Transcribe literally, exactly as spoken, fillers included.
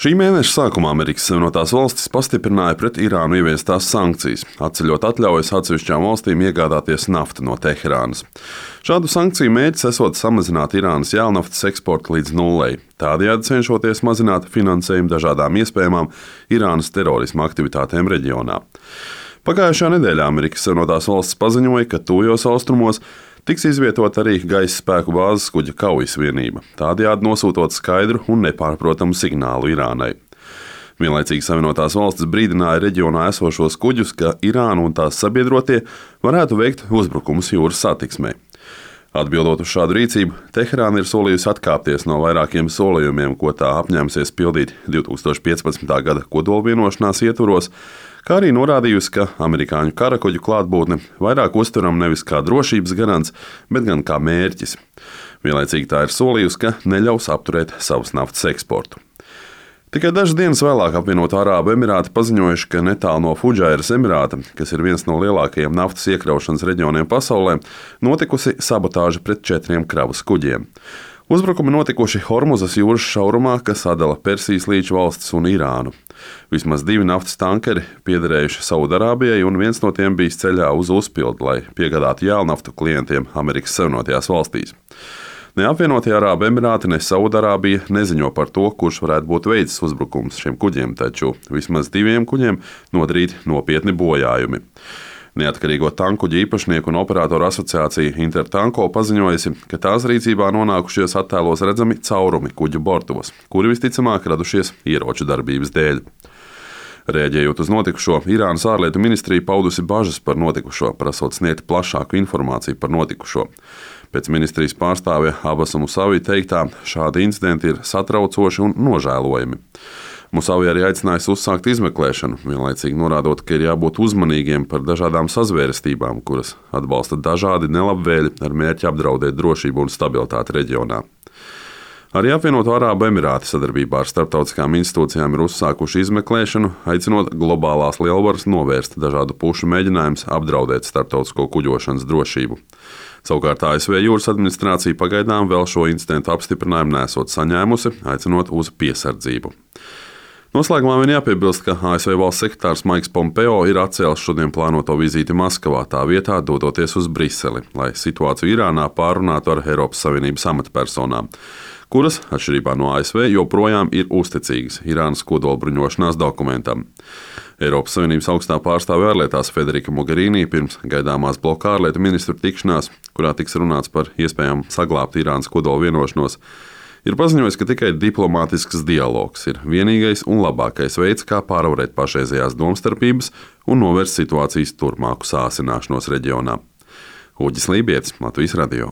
Šī mēneša sākumā Amerikas Savienotās Valstis pastiprināja pret Irānu ieviestās sankcijas, atceļot atļaujas atsevišķām valstīm iegādāties naftu no Teherānas. Šādu sankciju mērķis esot samazināt Irānas jēlnaftas eksportu līdz nullei, tādējādi cenšoties mazināt finansējumu dažādām iespējamām Irānas terorisma aktivitātēm reģionā. Pagājušajā nedēļā Amerikas Savienotās Valstis paziņoja, ka tuvajos austrumos tiks izvietota arī gaisa spēku bāzes kuģa kaujas vienība, tādējādi nosūtot skaidru un nepārprotamu signālu Irānai. Vienlaicīgi Savienotās Valstis brīdināja reģionā esošos kuģus, ka Irāna un tās sabiedrotie varētu veikt uzbrukumus jūras satiksmei. Atbildot uz šādu rīcību, Teherāna ir solījusi atkāpties no vairākiem solījumiem, ko tā apņēmusies pildīt divs tūkstoši piecpadsmitā gada kodolvienošanās ietvaros, kā arī norādījusi, ka amerikāņu karakuģu klātbūtne vairāk uztveram nevis kā drošības garants, bet gan kā mērķis. Vienlaicīgi tā ir solījusi, ka neļaus apturēt savas naftas eksportu. Tikai dažas dienas vēlāk apvienoto Arābu Emirāti paziņojuši, ka netālu no Fudžairas Emirāta, kas ir viens no lielākajiem naftas iekraušanas reģioniem pasaulē, notikusi sabotāža pret četriem kravas kuģiem. Uzbrukumi notikuši Hormuzas jūras šaurumā, kas sadala Persijas līča valstis un Irānu. Vismaz divi naftas tankeri piederējuši Saudarābijai, un viens no tiem bijis ceļā uz uzpildi, lai piegādātu jēlnaftu klientiem Amerikas Savienotajās Valstīs. Ne apvienotie Arābu Emirāti, ne Saudarābija neziņo par to, kurš varētu būt veicis uzbrukums šiem kuģiem, taču vismaz diviem kuģiem nodarīti nopietni bojājumi. Neatkarīgo tankuģu īpašnieku un operatoru asociācija Intertanko paziņojusi, ka tās rīcībā nonākušies attēlos redzami caurumi kuģu bortos, kuri visticamāk radušies ieroču darbības dēļ. Rēģējot uz notikušo, Irānas ārlietu ministrija paudusi bažas par notikušo, prasot sniegt plašāku informāciju par notikušo. Pēc ministrijas pārstāvja Abasa Musavi teiktā, šādi incidenti ir satraucoši un nožēlojami. Musavi arī aicinājis uzsākt izmeklēšanu, vienlaicīgi norādot, ka ir jābūt uzmanīgiem par dažādām sazvērestībām, kuras atbalsta dažādi nelabvēļi ar mērķi apdraudēt drošību un stabilitāti reģionā. Arī apvienoto Arābu Emirāti sadarbībā ar starptautiskām institūcijām ir uzsākuši izmeklēšanu, aicinot globālās lielvaras novērst dažādu pušu mēģinājumus apdraudēt starptautisko kuģošanas drošību. Savukārt A S V jūras administrācija pagaidām vēl šo incidentu apstiprinājumu nesot saņēmusi, aicinot uz piesardzību. Noslēgumā vien jāpiebilst, ka A S V valsts sekretārs Maiks Pompeo ir atcēlis šodien plānoto vizīti Maskavā, tā vietā dodoties uz Briseli, lai situāciju Irānā pārunātu ar Eiropas Savienības amatpersonām, kuras, atšķirībā no A S V, joprojām ir uzticīgas Irānas kodolbruņošanās dokumentam. Eiropas Savienības augstā pārstāve ārlietās Federika Mogherini pirms gaidāmās bloka ārlietu ministru tikšanās, kurā tiks runāts par iespējām saglābt Irānas kodolvienošanos, ir paziņojis, ka tikai diplomātisks dialogs ir vienīgais un labākais veids, kā pārvarēt pašreizējās domstarpības un novērst situācijas turpmāku sāsināšanos reģionā. Uģis Lībietis, Latvijas radio.